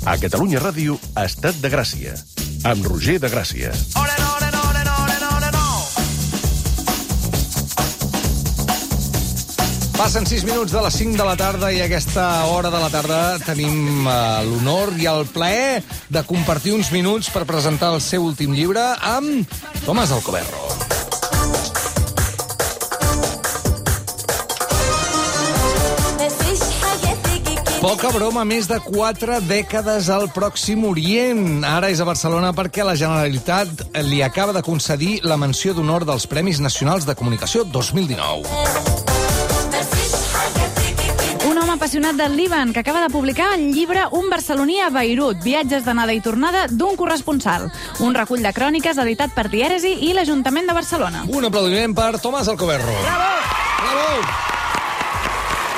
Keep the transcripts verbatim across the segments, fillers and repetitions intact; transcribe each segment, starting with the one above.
A Catalunya Ràdio, Estat de Gràcia, amb Roger de Gràcia. Ole, ole, ole, ole, ole, no. Passen sis minuts de les cinc de la tarda i a aquesta hora de la tarda tenim uh, l'honor i el plaer de compartir uns minuts per presentar el seu últim llibre amb Tomàs Alcoberro. Poca broma, més de quatre dècades al Pròxim Orient. Ara és a Barcelona perquè la Generalitat li acaba de concedir la menció d'honor dels Premis Nacionals de Comunicació dos mil dinou. Un home apassionat del Líban que acaba de publicar el llibre Un barceloní a Beirut, viatges d'anada i tornada d'un corresponsal. Un recull de cròniques editat per Dièresi i l'Ajuntament de Barcelona. Un aplaudiment per Tomàs Alcoberro. Bravo! Bravo!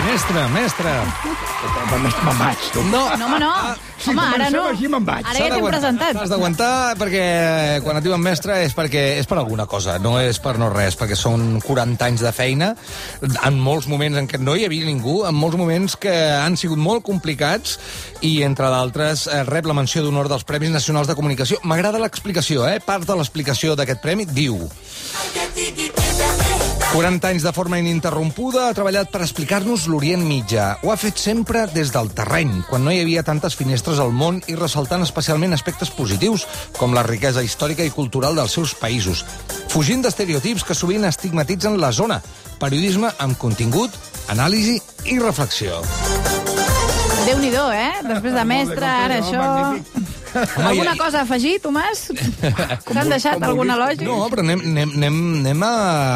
Mestre, mestre. Me'n vaig. No, No, home, no. Si Home, ara no. comencem així, me'n vaig. Ara ja t'hem presentat. T'has d'aguantar perquè quan et diuen mestre és perquè és per alguna cosa, no és per no res, perquè són quaranta anys de feina, en molts moments en què no hi havia ningú, en molts moments que han sigut molt complicats i, entre d'altres, rep la menció d'honor dels Premis Nacionals de Comunicació. M'agrada l'explicació, eh? Part de l'explicació d'aquest premi diu: quaranta anys de forma ininterrompuda, ha treballat per explicar-nos l'Orient Mitjà. Ho ha fet sempre des del terreny, quan no hi havia tantes finestres al món i ressaltant especialment aspectes positius, com la riquesa històrica i cultural dels seus països. Fugint d'estereotips que sovint estigmatitzen la zona. Periodisme amb contingut, anàlisi i reflexió. Déu-n'hi-do, eh? Després de mestre, ara això... Home, Alguna i- cosa a afegir, Tomàs? S'han deixat algun elogi? No, però anem, anem, anem, anem a,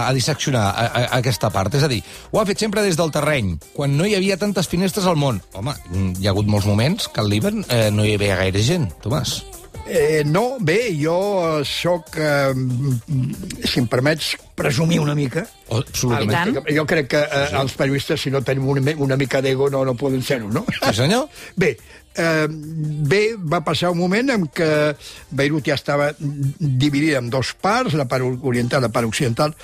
a disseccionar a, a, aquesta part. És a dir, ho ha fet sempre des del terreny, quan no hi havia tantes finestres al món. Home, hi ha hagut molts moments que al Líban eh, no hi havia gaire gent, Tomàs. Eh, no, bé, jo soc, eh, si em permets, presumir una mica. Oh, absolutament. I tant. Jo crec que eh, els periodistes, si no tenim una, una mica d'ego, no, no poden ser-ho, no? Sí, senyor? Bé, eh, bé, va passar un moment en què Beirut ja estava dividida en dos parts, la part oriental i la part occidental,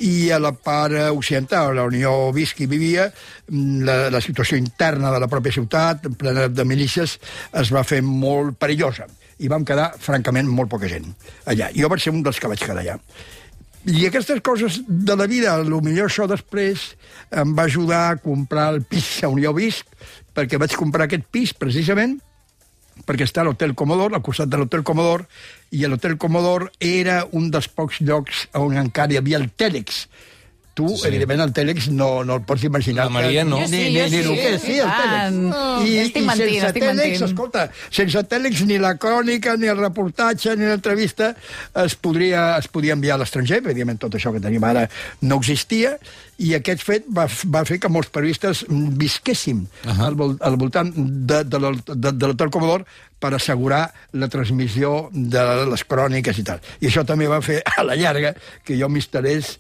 i a la part occidental, la Unió Visc hi vivia, la, la situació interna de la pròpia ciutat, plena de milícies, es va fer molt perillosa. I vam quedar, francament, molt poca gent allà. Jo vaig ser un dels que vaig quedar allà. I aquestes coses de la vida, potser això després em va ajudar a comprar el pis a Unió Visc, perquè vaig comprar aquest pis precisament perquè està a l'Hotel Comodor, al costat de l'Hotel Comodor, i l'Hotel Comodor era un dels pocs llocs on encara hi havia el Tèlex. Tu, sí. Evidentment, el Tèlex no, no el pots imaginar. La Maria no. Jo sí, Ni, jo ni, ni sí. el que és, sí, el I Tèlex. tant. I, Estic i mentint, sense estic Tèlex, mentint. escolta, sense Tèlex ni la crònica, ni el reportatge, ni l'entrevista es podria, es podia enviar a l'estranger. Evidentment, tot això que tenim ara no existia, i aquest fet va, va fer que molts periodistes visquéssim uh -huh. al, vol, al voltant de, de, de, de l'Hotel Comodor per assegurar la transmissió de les cròniques i tal. I això també va fer, a la llarga, que jo m'instal·lés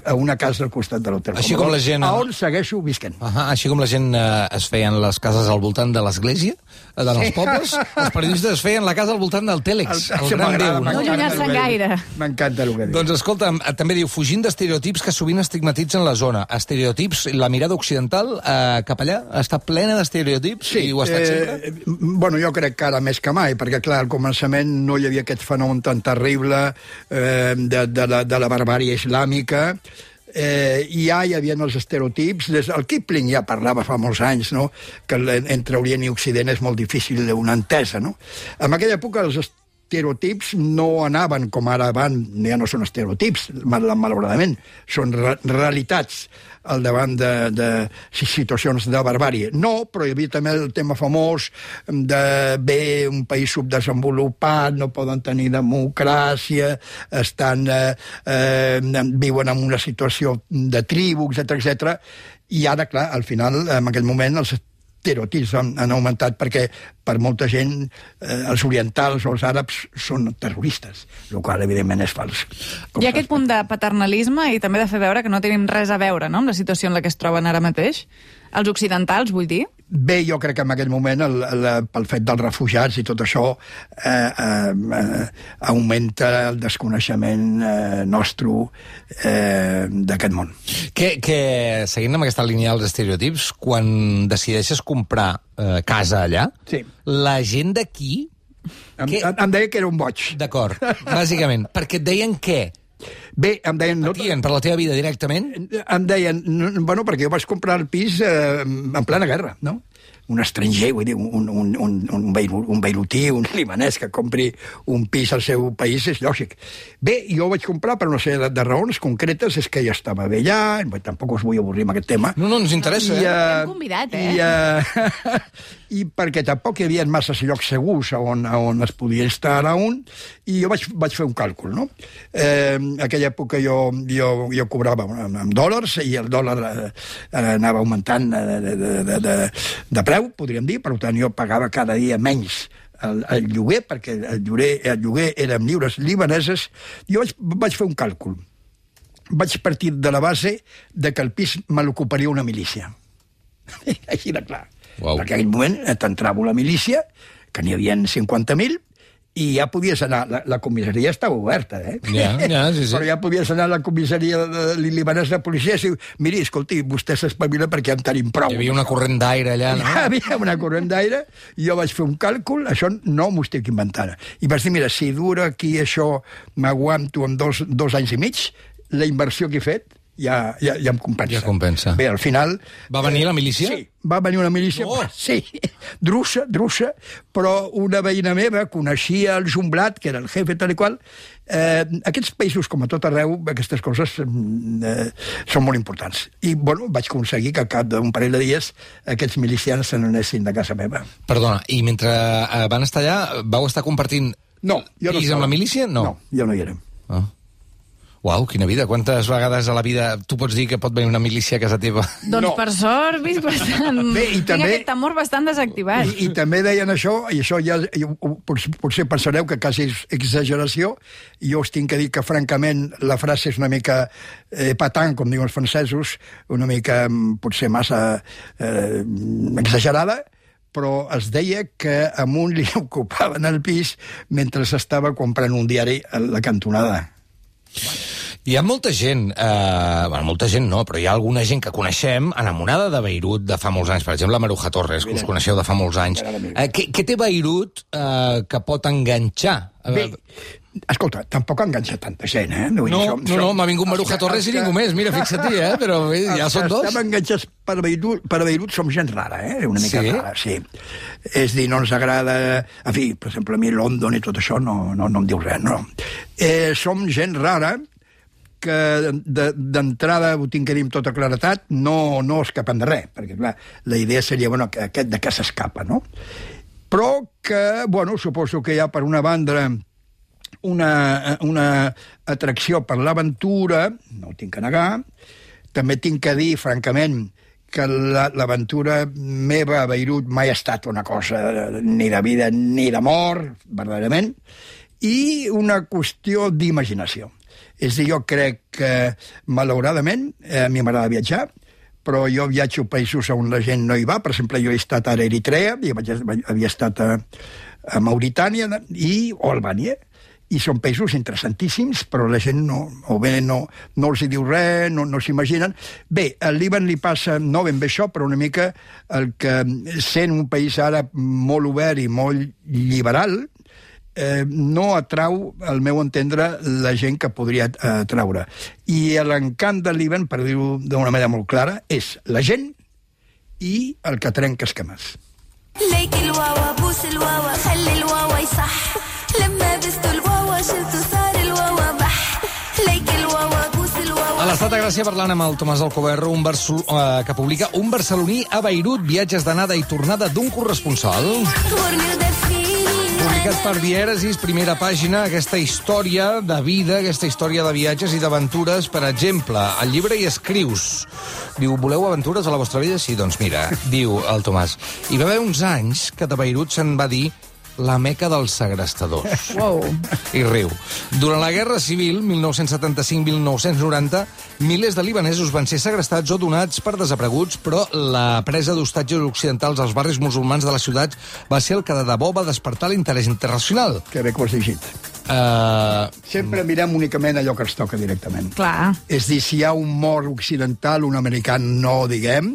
a una casa al costat de l'Hotel Així Comodor, com la gent... a on segueixo visquent. Uh -huh. Així com la gent eh, es feien les cases al voltant de l'església, eh, dels Sí. pobles, els periodistes es feien la casa al voltant del Tèlex, el, el Això gran m'agrada, déu. No m'encanta allunyar-se'n el que diu. gaire. M'encanta el que diu. Doncs escolta'm, eh, també diu, fugint d'estereotips que sovint estigmatitzen la zona. Estereotips, la mirada occidental eh, cap allà està plena d'estereotips i ho ha estat sempre? Eh, bueno, jo crec que ara més que mai, perquè, clar, al començament no hi havia aquest fenomen tan terrible eh, de, de, la, de la barbàrie islàmica. Eh, i ja hi havia els estereotips. Des, el Kipling ja parlava fa molts anys, no?, que entre Orient i Occident és molt difícil una entesa, no? En aquella època els estereotips no anaven com ara van, ja no són estereotips, mal, malauradament, són re realitats al davant de, de situacions de barbàrie. No, però hi havia també el tema famós de bé, un país subdesenvolupat, no poden tenir democràcia, estan, eh, eh, viuen en una situació de tribu, etcètera, etcètera. I ara, clar, al final, en aquell moment, els estereotips han, han augmentat perquè per molta gent eh, els orientals o els àrabs són terroristes, el qual evidentment és fals. Hi ha aquest punt de paternalisme i també de fer veure que no tenim res a veure, no?, amb la situació en la que es troben ara mateix. Els occidentals, vull dir? Bé, jo crec que en aquell moment, el, el, pel fet dels refugiats i tot això, eh, eh, eh, augmenta el desconeixement eh, nostre eh, d'aquest món. Que, que, seguint amb aquesta línia dels estereotips, quan decideixes comprar eh, casa allà, Sí. la gent d'aquí... Em, que... em deia que era un boig. D'acord, bàsicament. Perquè et deien què? Bé, em deien... No, Patien per la teva vida directament? em deien, no, bueno, perquè jo vaig comprar el pis eh, en plena guerra, no? Un estranger, vull dir, un, un, un, un, beiru, un beirutí, un libanès que compri un pis al seu país és lògic. Bé, jo ho vaig comprar per una sèrie de, de raons concretes, és que ja estava bé allà, bé, tampoc us vull avorrir amb aquest tema. No, no, ens interessa, I, eh? T'hem convidat, eh? I, uh, I perquè tampoc hi havia massa llocs segurs on, on es podia instal·lar un, i jo vaig, vaig fer un càlcul, no? Eh, en aquella època jo, jo, jo cobrava en, en dòlars, i el dòlar eh, anava augmentant de, de, de, de, de, de preu, podríem dir, per tant jo pagava cada dia menys el, el lloguer, perquè el lloguer, el lloguer era en lliures libaneses. Jo vaig, vaig fer un càlcul. Vaig partir de la base de que el pis me l'ocuparia una milícia. Així de clar. Uau. Perquè en aquell moment t'entrava la milícia, que n'hi havia cinquanta mil, i ja podies anar... La, la comissaria estava oberta, eh? Ja, ja, sí, sí. Però ja podies anar a la comissaria de, de libanesa de policia i dir, miri, escolti, vostè s'espavila perquè ja en tenim prou. Hi havia una corrent d'aire allà, no? Hi havia una corrent d'aire, i jo vaig fer un càlcul, això no m'ho estic inventant. I vaig dir, mira, si dura aquí això, m'aguanto en dos, dos anys i mig, la inversió que he fet ja, ja, ja em compensa. Ja compensa. Bé, al final... Va venir la milícia? Sí, va venir una milícia, No. sí, drussa, drussa, però una veïna meva coneixia el Jumblat, que era el jefe tal i qual. Eh, aquests països, com a tot arreu, aquestes coses eh, són molt importants. I, bueno, vaig aconseguir que al cap d'un parell de dies aquests milicians se n'anessin de casa meva. Perdona, i mentre eh, van estar allà, vau estar compartint No, jo no pis estava. amb la milícia? No. No, jo no hi era. Ah. Uau, quina vida. Quantes vegades a la vida tu pots dir que pot venir una milícia a casa teva? Doncs No. per sort, vist bastant... Bé, i Tinc també- aquest temor bastant desactivat. I, I també deien això, i això ja jo, potser, potser pensareu que quasi és exageració, i jo us tinc que dir que, francament, la frase és una mica eh, patant, com diuen els francesos, una mica mm, potser massa eh, exagerada, però es deia que a un li ocupaven el pis mentre s'estava comprant un diari a la cantonada. Hi ha molta gent, eh, bueno, molta gent no, però hi ha alguna gent que coneixem enamorada de Beirut de fa molts anys. Per exemple, Maruja Torres, que us coneixeu de fa molts anys. Eh, què, què té Beirut eh, que pot enganxar? Bé, escolta, tampoc enganxa tanta gent, eh? Vull dir, No, som- no, som- no, m'ha vingut els Maruja que- Torres els i que- ningú més. Mira, fixa-t'hi, eh? Però bé, ja Els són que dos. estem enganxats per Beirut, per Beirut som gent rara, eh? Una mica Sí? rara, sí. És dir, no ens agrada... En fi, per exemple, a mi London i tot això no, no, no em diu res, no. Eh, som gent rara que d'entrada, ho tinc que dir amb tota claretat, no, no escapen de res, perquè, clar, la idea seria, bueno, que aquest de què s'escapa, no? Però que, bueno, suposo que hi ha, per una banda, una, una atracció per l'aventura, no ho tinc que negar. També tinc que dir, francament, que l'aventura meva a Beirut mai ha estat una cosa ni de vida ni de mort, verdaderament, i una qüestió d'imaginació. És a dir, jo crec que, malauradament, a mi m'agrada viatjar, però jo viatjo a països on la gent no hi va. Per exemple, jo he estat a Eritrea, i havia estat a, a Mauritània i o Albània, i són països interessantíssims, però la gent no, o bé no, no els hi diu res, no, no s'imaginen. Bé, al Líban li passa no ben bé això, però una mica el que, sent un país ara molt obert i molt liberal, eh, no atrau, al meu entendre, la gent que podria atraure. I l'encant del Líban, per dir-ho d'una manera molt clara, és la gent i el que trenca esquemes. ليك الواوا بوس الواوا خلي الواوا يصح لما بستو الواوا شلتو صار الواوا بح ليك الواوا بوس الواوا A l'Estat de Gràcia, parlant amb el Tomàs Alcoberro, un Barcel eh, que publica Un barceloní a Beirut, viatges d'anada i tornada d'un corresponsal. غورني ودفيني Publicat per Dièresis, primera pàgina, aquesta història de vida, aquesta història de viatges i d'aventures. Per exemple, al llibre hi escrius. Diu, voleu aventures a la vostra vida? Sí, doncs mira, diu el Tomàs. Hi va haver uns anys que de Beirut se'n va dir la meca dels segrestadors. Wow. I riu. Durant la Guerra Civil, mil nou-cents setanta-cinc mil nou-cents noranta, milers de libanesos van ser segrestats o donats per desapareguts, però la presa d'hostatges occidentals als barris musulmans de la ciutat va ser el que de debò va despertar l'interès internacional. Que bé que ho has llegit. Uh... Sempre mirem únicament allò que ens toca directament. Clar. És dir, si hi ha un mort occidental, un americà no, diguem,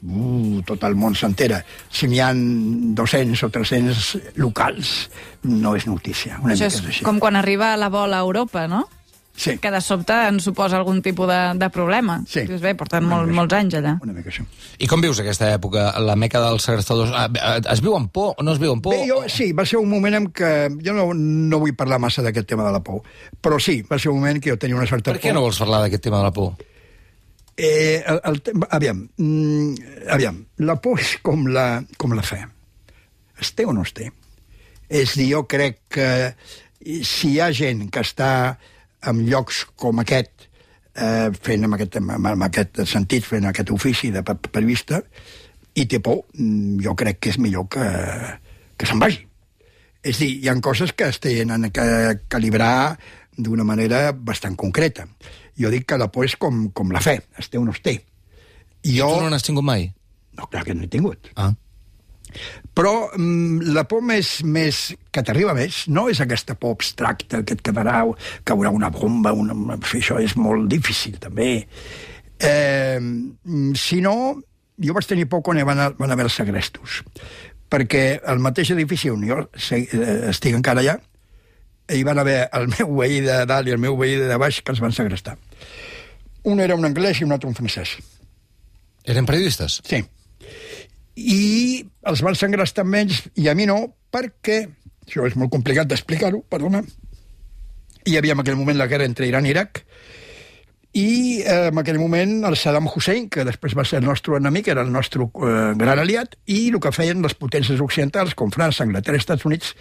uh, tot el món s'entera. Si n'hi ha dos-cents o tres-cents locals, no és notícia. Una Això mica és és així. com quan arriba la bola a Europa, no? Sí. Que de sobte ens suposa algun tipus de, de problema. Sí. Dius, bé, porten molt, molts anys allà. Una mica això. I com vius aquesta època, la meca dels segrestadors? Es viu amb por o no es viu amb por? Bé, jo, sí, va ser un moment en què... Jo no, no vull parlar massa d'aquest tema de la por, però sí, va ser un moment que jo tenia una certa Per què no vols parlar d'aquest tema de la por? Eh, el, el, aviam, mm, aviam, la por és com la, com la fe. Es té o no es té? És dir, jo crec que si hi ha gent que està en llocs com aquest, eh, fent en aquest, en aquest sentit, fent aquest ofici de periodista, i té por, jo crec que és millor que, que se'n vagi. És dir, hi ha coses que es tenen que calibrar d'una manera bastant concreta. Jo dic que la por és com, com la fe, es té o no es té. I jo... tu no n'has tingut mai? No, clar que no he tingut. Ah. Però mm, la por més, més que t'arriba més no és aquesta por abstracta que et quedarà, caurà una bomba, una... això és molt difícil, també. Eh, sinó, jo vaig tenir por quan van, a, van haver els segrestos, perquè al mateix edifici on jo estic encara allà, hi van haver el meu veí de dalt i el meu veí de baix que els van segrestar. Un era un anglès i un altre un francès. Eren periodistes? Sí. I els van segrestar amb ells, i a mi no, perquè, això és molt complicat d'explicar-ho, perdona, hi havia en aquell moment la guerra entre Iran i Iraq, i eh, en aquell moment el Saddam Hussein, que després va ser el nostre enemic, era el nostre eh, gran aliat, i el que feien les potències occidentals, com França, Anglaterra i Estats Units,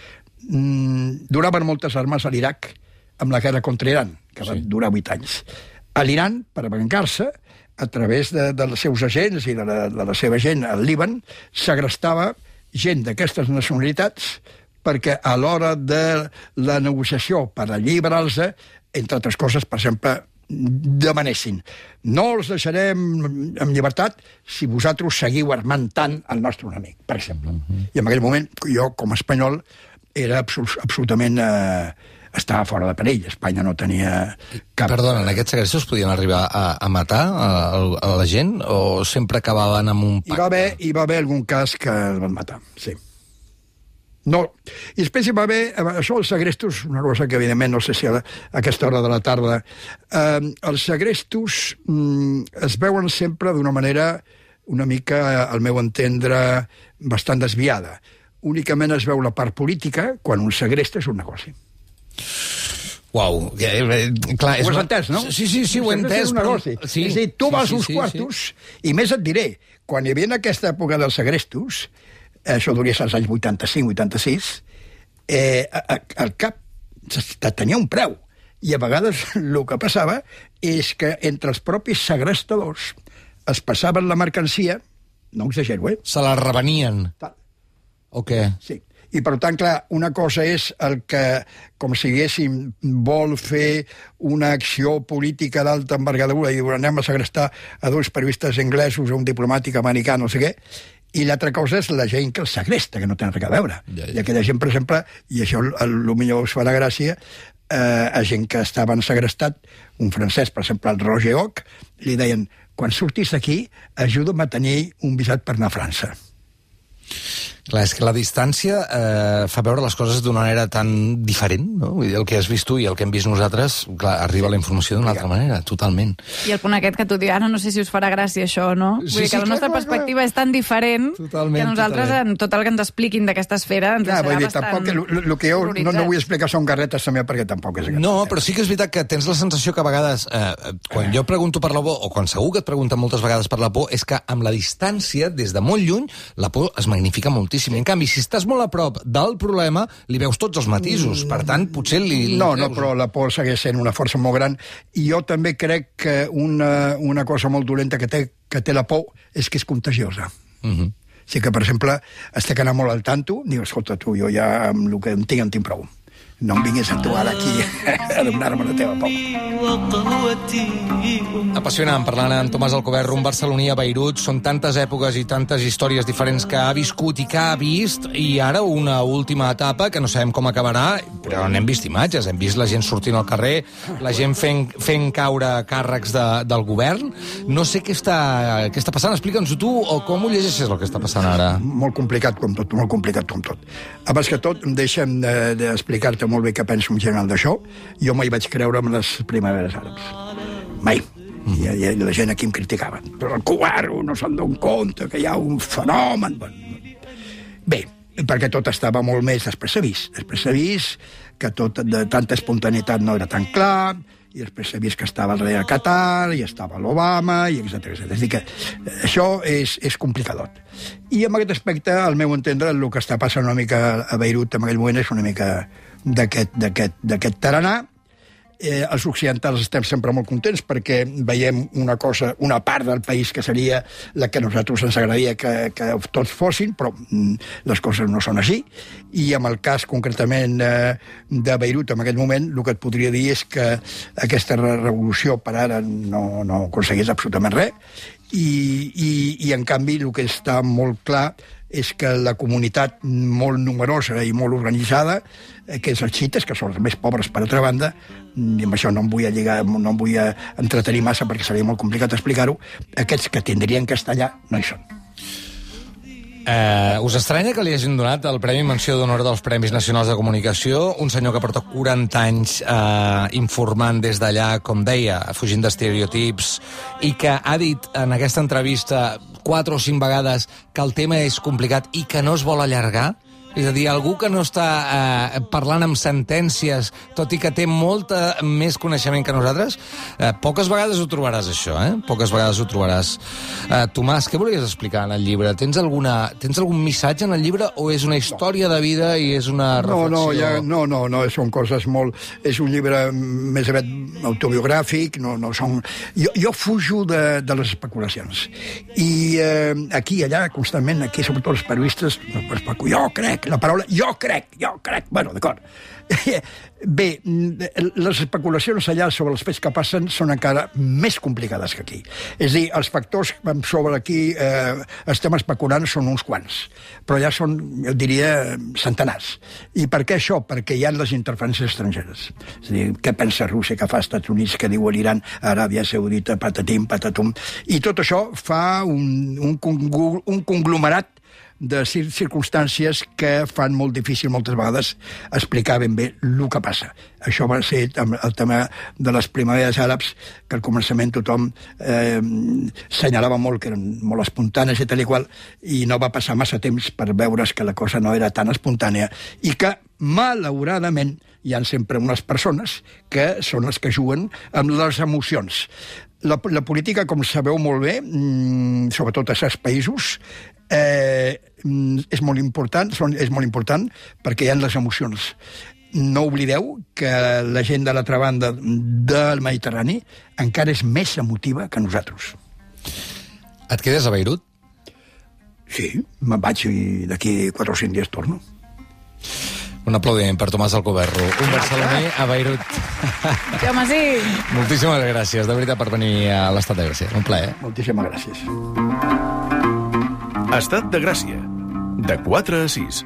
mmm, donaven moltes armes a l'Iraq amb la guerra contra Iran, que va sí. durar vuit anys. A l'Iran, per vengar-se, a través de, dels seus agents i de la, de la seva gent al Líban, segrestava gent d'aquestes nacionalitats perquè a l'hora de la negociació per alliberar-los, entre altres coses, per exemple, demanessin no els deixarem en llibertat si vosaltres seguiu armant tant el nostre enemic, per exemple. Uh-huh. I en aquell moment, jo, com a espanyol, era absol- absolutament... Eh, estava fora de perill. Espanya no tenia cap... Perdona, en aquests segrestos podien arribar a, a matar a, a la gent o sempre acabaven amb un pacte? Hi va haver, hi va haver algun cas que el van matar, sí. No. I després hi va haver... Això, els segrestos, una cosa que, evidentment, no sé si a, a aquesta hora de la tarda... Eh, els segrestos mm, es veuen sempre d'una manera una mica, al meu entendre, bastant desviada. Únicament es veu la part política quan un segresta és un negoci. Uau, eh, clar, és ho has una... entès, no? Sí, sí, sí, ho he entès. Però... Sí, és a dir, tu sí, vas sí, uns sí, quartos, sí. i més et diré, quan hi havia en aquesta època dels segrestos, això duria als anys vuitanta-cinc vuitanta-sis, eh, al cap tenia un preu, i a vegades el que passava és que entre els propis segrestadors es passaven la mercancia, no exagero, eh? Se la revenien. Tal. O què? Sí. I, per tant, clar, una cosa és el que, com si diguéssim, vol fer una acció política d'alta envergadura i diu, anem a segrestar a dos periodistes anglesos, a un diplomàtic americà, no sé què, i l'altra cosa és la gent que els segresta, que no tenen res a veure. Ja, ja. I aquella gent, per exemple, i això potser us farà gràcia, eh, a gent que estaven segrestat, un francès, per exemple, el Roger Ock, li deien, quan surtis d'aquí, ajuda'm a tenir un visat per anar a França. Clar, és que la distància eh, fa veure les coses d'una manera tan diferent, no? Vull dir, el que has vist tu i el que hem vist nosaltres, clar, arriba la informació d'una altra manera, totalment. I el punt aquest que tu dius, ara no sé si us farà gràcia això, no? Sí, Vull dir que sí, la nostra clar, perspectiva clar. és tan diferent Totalment, que nosaltres, totalment. en tot el que ens expliquin d'aquesta esfera, ens Clar, deixarà vull dir, bastant tampoc, el, el que jo no, no vull explicar són garretes també, perquè tampoc és... No, però sí que és veritat que tens la sensació que a vegades, eh, quan jo pregunto per la por, o quan segur que et pregunten moltes vegades per la por, és que amb la distància, des de molt lluny, la por es magnifica moltíssim. En canvi, si estàs molt a prop del problema, li veus tots els matisos. Per tant, potser li... No, no, però la por segueix sent una força molt gran. I jo també crec que una, una cosa molt dolenta que té, que té la por és que és contagiosa. Uh-huh. sigui que, per exemple, estic anant molt al tanto, diu, escolta, tu, jo ja amb el que em tinc, en tinc prou. No em vinguis a tu ara aquí a donar-me la teva por. Apassionant, parlant amb Tomàs Alcoberro, un barceloní a Beirut. Són tantes èpoques i tantes històries diferents que ha viscut i que ha vist, i ara una última etapa que no sabem com acabarà, però n'hem vist imatges, hem vist la gent sortint al carrer, la gent fent, fent caure càrrecs de, del govern. No sé què està, què està passant, explica'ns-ho tu, o com ho llegeixes el que està passant ara? Molt complicat com tot, molt complicat com tot. Abans que tot, deixa'm d'explicar-te molt bé què penso en general d'això. Jo mai vaig creure en les primaveres àrabs. Mai. I, i la gent aquí em criticava. Però el covarro no se'n dona compte que hi ha un fenomen. Bé, perquè tot estava molt més després s'ha vist. Després s'ha vist que tot de tanta espontaneïtat no era tan clar, i després s'ha vist que estava el rei a Qatar, i estava l'Obama, i etcètera, etcètera. És a dir, que això és, és complicadot. I en aquest aspecte, al meu entendre, el que està passant una mica a Beirut en aquell moment és una mica d'aquest tarannà. Eh, els occidentals estem sempre molt contents perquè veiem una cosa, una part del país que seria la que a nosaltres ens agradaria que, que tots fossin, però mm, les coses no són així. I en el cas concretament eh, de Beirut, en aquest moment, el que et podria dir és que aquesta revolució per ara no, no aconsegueix absolutament res, i, i, i en canvi el que està molt clar és que la comunitat molt numerosa i molt organitzada, que és els xiites, que són els més pobres per altra banda, i amb això no em vull lligar, no em vull entretenir massa perquè seria molt complicat explicar-ho, aquests que tindrien que estar allà no hi són. Eh, us estranya que li hagin donat el Premi Menció d'Honor dels Premis Nacionals de Comunicació, un senyor que porta quaranta anys eh, informant des d'allà, com deia, fugint d'estereotips, i que ha dit en aquesta entrevista quatre o cinc vegades que el tema és complicat i que no es vol allargar? És a dir, algú que no està eh, parlant amb sentències, tot i que té molta més coneixement que nosaltres, eh, poques vegades ho trobaràs, això, eh? Poques vegades ho trobaràs. Eh, Tomàs, què volies explicar en el llibre? Tens, alguna, tens algun missatge en el llibre o és una història de vida i és una reflexió? No, no, ja, no, no, no, són coses molt... És un llibre més aviat autobiogràfic, no, no són... Jo, jo fujo de, de les especulacions. I eh, aquí i allà, constantment, aquí, sobretot els periodistes, jo crec, la paraula jo crec, jo crec, bueno, d'acord. Bé, les especulacions allà sobre els fets que passen són encara més complicades que aquí. És a dir, els factors sobre aquí eh, estem especulant són uns quants, però ja són, jo diria, centenars. I per què això? Perquè hi ha les interferències estrangeres. És a dir, què pensa Rússia, que fa Estats Units, que diu l'Iran, Aràbia Saudita, patatim, patatum. I tot això fa un, un, un conglomerat de circumstàncies que fan molt difícil moltes vegades explicar ben bé el que passa. Això va ser el tema de les primaveres àrabs, que al començament tothom eh, senyalava molt que eren molt espontànies i tal i qual, i no va passar massa temps per veure's que la cosa no era tan espontània i que, malauradament, hi ha sempre unes persones que són les que juguen amb les emocions. La, la política, com sabeu molt bé, sobretot a certs països, eh, és molt important, és molt important perquè hi ha les emocions. No oblideu que la gent de l'altra banda del Mediterrani encara és més emotiva que nosaltres. Et quedes a Beirut? Sí, me'n vaig i d'aquí quatre o cinc dies torno. Un aplaudiment per Tomàs Alcoberro, un barceloní a Beirut. Sí, home, sí. Moltíssimes gràcies, de veritat, per venir a l'Estat de Gràcia. Un plaer. Moltíssimes gràcies. Estat de Gràcia, de quatre a sis.